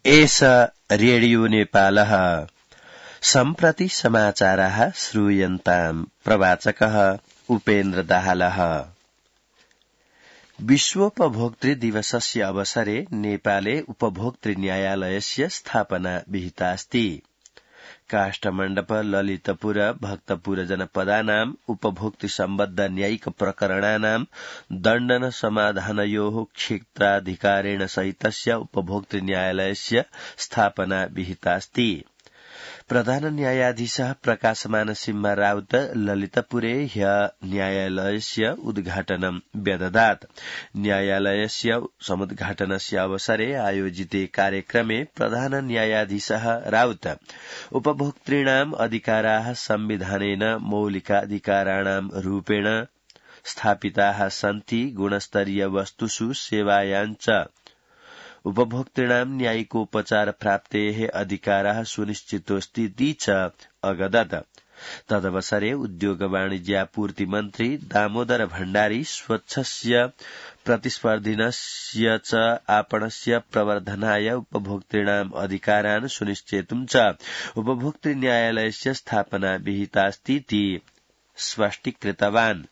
एष रेडियो नेपालः। सम्प्रति समाचाराः श्रूयन्ताम्। प्रवाचकः उपेन्द्र दाहालः। विश्वोपभोक्तृ दिवसस्य अवसरे नेपाले उपभोक्तृ न्यायालयस्य स्थापना विहितास्ति। काष्ठमण्डप, ललितपुर, भक्तपुर जनपदानाम् उपभोक्तृ सम्बद्ध न्यायिक प्रकरणानां दण्डन समाधानयोः क्षेत्राधिकारेण सहितस्य उपभोक्तृ न्यायालयस्य स्थापना विहितास्ति। प्रधान न्यायाधीशः प्रकाशमान सिंह राउत ललितपुरे ह्य न्यायालयस्य उद्घाटनं व्यदधात्। न्यायालयस्य समुद्घाटनस्य अवसरे आयोजिते कार्यक्रमे प्रधान न्यायाधीशः राउत उपभोक्तॄणाम् अधिकाराः संविधानेन मौलिकाधिकाराणां रूपेण स्थापिताः सन्ति। गुणस्तरीय वस्तुषु सेवायाञ्च उपभोक्तॄणां न्यायिकोपचार प्राप्तेः अधिकारः सुनिश्चितोऽस्तीति च अगदत्। तदवसरे उद्योग वाणिज्यापूर्ति मन्त्री दामोदर भण्डारी स्वच्छस्य प्रतिस्पर्धिनस्य च आपणस्य प्रवर्धनाय उपभोक्तॄणाम् अधिकारान् सुनिश्चेतुं च उपभोक्तृ न्यायालयस्य स्थापना विहितास्तीति स्पष्टीकृतवान्।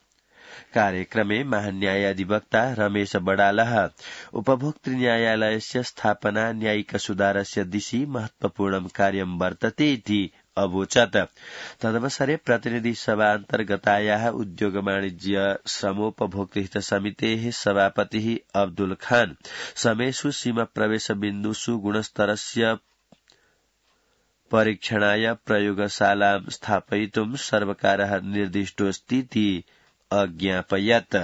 कार्यक्रमे महान्यायाधिवक्ता रमेश बडालः उपभोक्तृ न्यायालयस्य स्थापना न्यायिक सुधारस्य दिशि महत्वपूर्णं कार्यं वर्तते इति अवोचत्। तदवसरे प्रतिनिधि सभा अन्तर्गतायाः उद्योग वाणिज्य श्रमोपभोक्तृहित समितेः सभापतिः अब्दुल खान समेषु सीमा प्रवेश बिन्दुषु गुणस्तरस्य परीक्षणाय प्रयोगशालां स्थापयितुं सर्वकारः निर्दिष्टोऽस्तीति अज्ञापयत्।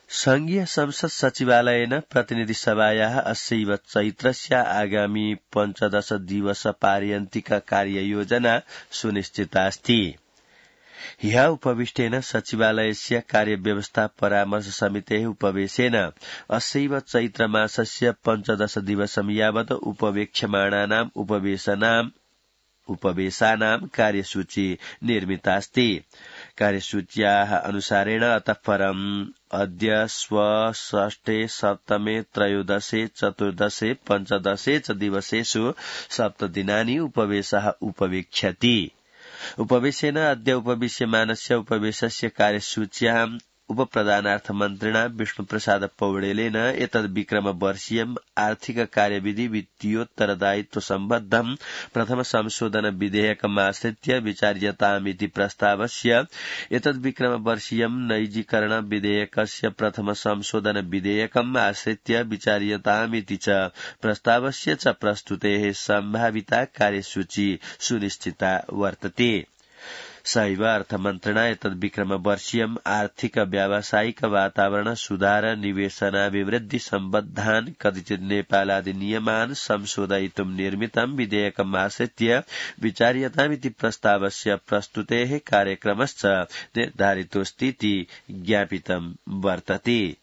संघीय संसद सचिवालयेन प्रतिनिधि सभायाः अस्यैव चैत्रस्य आगामी 15 दिवस पार्यन्तिक कार्ययोजना सुनिश्चितास्ति। ह्यः उपविष्टेन सचिवालयस्य कार्यव्यवस्था परामर्श समितेः उपवेशेन अस्यैव चैत्रमासस्य 15 दिवसं यावत् उपवेक्ष्यमाणानाम् उपवेशनां कार्यसूची निर्मितास्ति। कार्यसूच्याः अनुसारेण अतः परम् अद्य स्व षष्ठे सप्तमे त्रयोदशे चतुर्दशे पञ्चदशे च दिवसेषु 7 दिनानि उपवेशः उपवेक्ष्यति। उपवेशेन अद्य उपविश्यमानस्य उपवेशस्य कार्यसूच्याम् उपप्रधानार्थमन्त्रिणा विष्णुप्रसाद पौडेलेन एतद्विक्रमवर्षीयम् आर्थिक कार्यविधि वित्तीयोत्तरदायित्व सम्बद्धम् प्रथम संशोधन विधेयकमाश्रित्य विचार्यतामिति प्रस्तावस्य एतद्विक्रमवर्षीयम् नैजीकरण विधेयकस्य प्रथम संशोधन विधेयकम् आश्रित्य विचार्यतामिति च प्रस्तावस्य च प्रस्तुतेः सम्भाविता कार्यसूची सुनिश्चिता वर्तते। सैव अर्थमन्त्रिणा एतद्विक्रमवर्षीयम् आर्थिक व्यावसायिक वातावरण सुधार निवेशनाभिवृद्धि सम्बद्धान् कतिचित् नेपालादिनियमान् संशोधयितुं निर्मितं विधेयकमाश्रित्य विचार्यतामिति प्रस्तावस्य प्रस्तुतेः कार्यक्रमश्च निर्धारितोऽस्तीति ज्ञापितं वर्तते।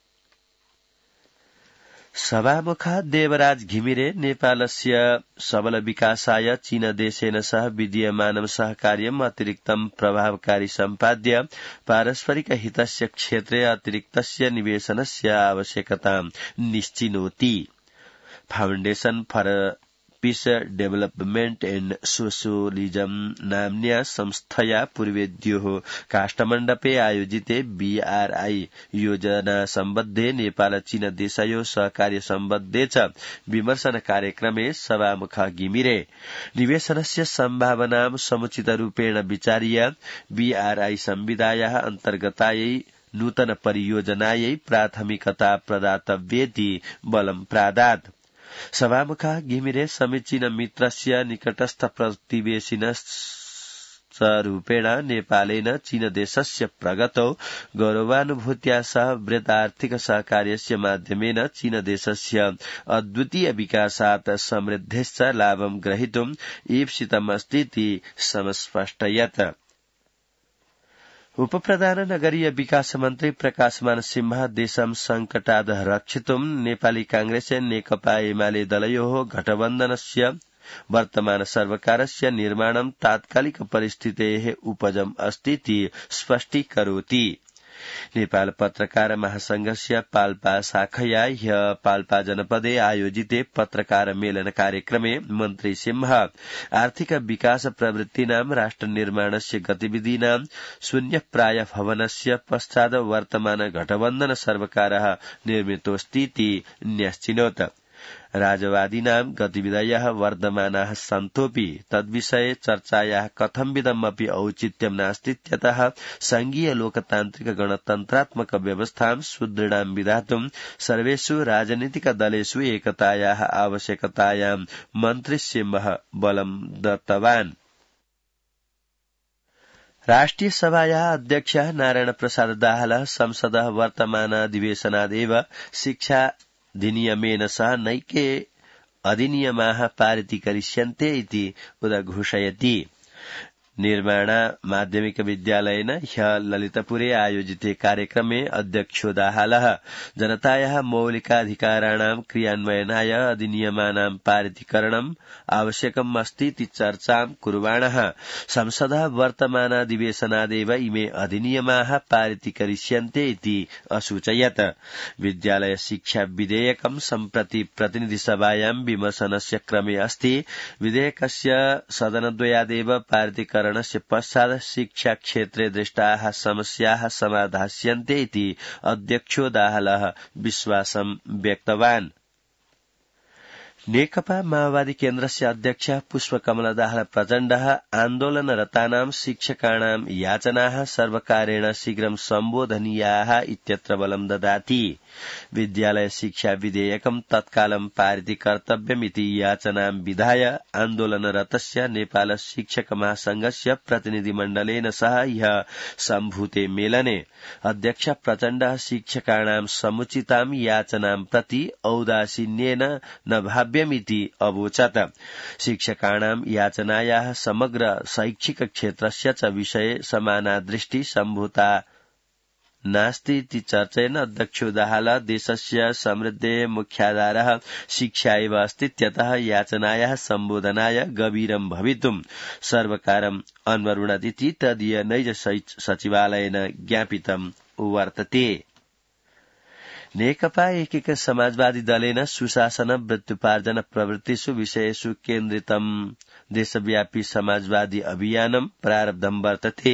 सभामुखः देवराज घिमिरे नेपालस्य सबल विकासाय चीनदेशेन सह विद्यमानं सहकार्यम् अतिरिक्तं प्रभावकारी सम्पाद्य पारस्परिक हितस्य क्षेत्रे अतिरिक्तस्य निवेशनस्य आवश्यकतां निश्चिनोति। Foundation for peace development and socialism नाम्न्या संस्थया पूर्वेद्योः काष्ठमण्डपे आयोजिते बीआरआई योजना सम्बद्धे नेपाल चीन देशयोः सहकार्य सम्बद्धे च विमर्शन कार्यक्रमे सभामुखः घिमिरे निवेशनस्य सम्भावनां समुचितरूपेण विचार्य बीआरआई संविदायाः अन्तर्गतायै नूतन परियोजनायै प्राथमिकता प्रदातव्येति बलं प्रादात्। सभामुखः घिमिरे समीचीन मित्रस्य निकटस्थ प्रतिवेशिनश्च रूपेण नेपालेन चीनदेशस्य प्रगतौ गौरवानुभूत्या सह बृहत् आर्थिक सहकार्यस्य माध्यमेन चीनदेशस्य अद्वितीय विकासात् समृद्धेश्च लाभं ग्रहीतुम् ईप्सितमस्तीति समस्पष्टयत्। उपप्रधान नगरीय विकास मन्त्री प्रकाशमान सिंह देशं संकटाद् रक्षितुं नेपाली कांग्रेस नेकपा एमाले दलयोः गठबन्धनस्य वर्तमान सर्वकारस्य निर्माणं तात्कालिक परिस्थितेः उपजम् अस्तीति स्पष्टीकरोति। नेपाल पत्रकार महासंघस्य पाल्पा शाखया ह्य पाल्पा जनपदे आयोजिते पत्रकार मेलन कार्यक्रमे मन्त्री सिंह आर्थिक विकास प्रवृत्तीनां राष्ट्र निर्माणस्य गतिविधीनां शून्यप्राय भवनस्य पश्चात् वर्तमान गठबन्धन सर्वकारः निर्मितोऽस्तीति न्यश्चिनोत् राजवादीनां गतिविधयः वर्धमानाः सन्तोऽपि तद्विषये चर्चायाः कथंविधमपि औचित्यं नास्तीत्यतः संघीय लोकतान्त्रिक गणतन्त्रात्मक व्यवस्थां सुदृढां विधातुं सर्वेषु राजनीतिक दलेषु एकतायाः आवश्यकतायां मन्त्री सिंह बलं दत्तवान्। राष्ट्रिय सभायाः अध्यक्षः नारायण प्रसाद दाहालः संसदः वर्तमानाधिवेशनादेव शिक्षा अधिनियमेन सह नैके अधिनियमाः पारितीकरिष्यन्ते इति उदघोषयति। निर्माण माध्यमिक विद्यालयेन ह्य ललितपुरे आयोजिते कार्यक्रमे अध्यक्षो दाहालः जनतायाः मौलिकाधिकाराणां क्रियान्वयनाय अधिनियमानां पारितीकरणम् आवश्यकम् अस्तीति चर्चां कुर्वाणः संसदः वर्तमानाधिवेशनादेव इमे अधिनियमाः पारितीकरिष्यन्ते इति असूचयत्। विद्यालय शिक्षा विधेयकं सम्प्रति प्रतिनिधिसभायां विमर्शनस्य क्रमे अस्ति। विधेयकस्य सदनद्वयादेव पारितीकरणस्य पश्चात् शिक्षा क्षेत्रे दृष्टाः समस्याः समाधास्यन्ते इति अध्यक्षो दाहालः विश्वासं व्यक्तवान्। नेकपा माओवादी केन्द्रस्य अध्यक्ष पुष्पकमल दाहाल प्रचण्डः आन्दोलनरतानां शिक्षकाणां याचनाः सर्वकारेण शीघ्रं सम्बोधनीयाः इत्यत्र बलं ददाति। विद्यालय शिक्षा विधेयकं तत्कालं पारितीकर्तव्यमिति याचनां विधाय आन्दोलनरतस्य नेपाल शिक्षक महासंघस्य प्रतिनिधिमण्डलेन सह ह्यः सम्भूते मेलने अध्यक्ष प्रचण्डः शिक्षकाणां समुचितां याचनां प्रति औदासीन्येन न भाव्यमिति अवोचत्। शिक्षकाणां याचनायाः समग्र शैक्षिक क्षेत्रस्य च विषये समानादृष्टि सम्भूता नास्ति इति चर्चेन अध्यक्षो दाहाल देशस्य समृद्धेः मुख्याधारः शिक्षा एव अस्तीत्यतः याचनायाः सम्बोधनाय गभीरं भवितुं सर्वकारम् अन्वरुणदिति तदीय नैज सचिवालयेन ज्ञापितं वर्तते। नेकपा एकीकृत समाजवादी दलेन सुशासन वृत्त्युपार्जन प्रवृत्तिषु विषयेषु केन्द्रितं देशव्यापी समाजवादी अभियानं प्रारब्धं वर्तते।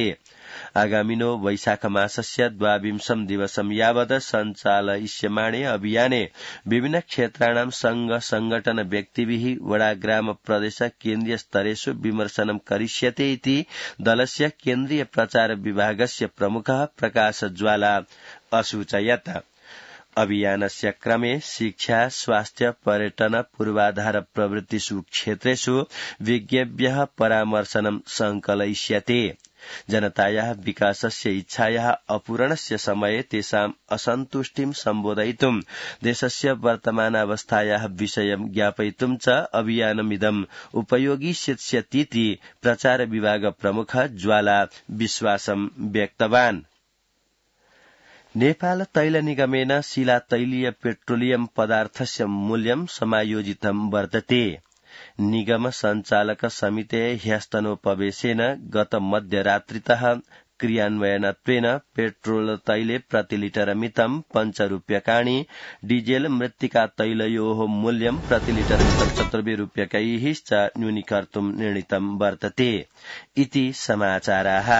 आगामिनो वैशाख मासस्य 22 दिवसं यावत् सञ्चालयिष्यमाणे अभियाने विभिन्न क्षेत्राणां संघ संगठन व्यक्तिभिः वडा ग्राम प्रदेश केन्द्रीय स्तरेषु विमर्शनं करिष्यते इति दलस्य केन्द्रीय प्रचार विभागस्य प्रमुखः प्रकाश ज्वाला असूचयत्। अभियानस्य क्रमे शिक्षा स्वास्थ्य पर्यटन पूर्वाधार प्रवृत्तिषु क्षेत्रेषु विज्ञेभ्यः परामर्शनं संकलयिष्यते। जनतायाः विकासस्य इच्छायाः अपूरणस्य समये तेषाम् असन्तुष्टिं सम्बोधयितुं देशस्य वर्तमानावस्थायाः विषयं ज्ञापयितुं च अभियानमिदम् उपयोगी सिद्ध्यतीति प्रचार विभाग प्रमुख ज्वाला विश्वासं व्यक्तवान्। नेपाल तैल निगमेन शिला तैलीय पेट्रोलियम पदार्थस्य मूल्यं समायोजितं वर्तते। निगम सञ्चालक समितेः ह्यस्तनोपवेशेन गत मध्यरात्रितः क्रियान्वयनत्वेन पेट्रोल तैले प्रति लिटर मितं 5 रूप्यकाणि, डीजेल मृत्तिका तैलयोः मूल्यं प्रति लिटर मितं 14 रूप्यकैः च न्यूनीकर्तुं निर्णीतं वर्तते इति समाचाराः।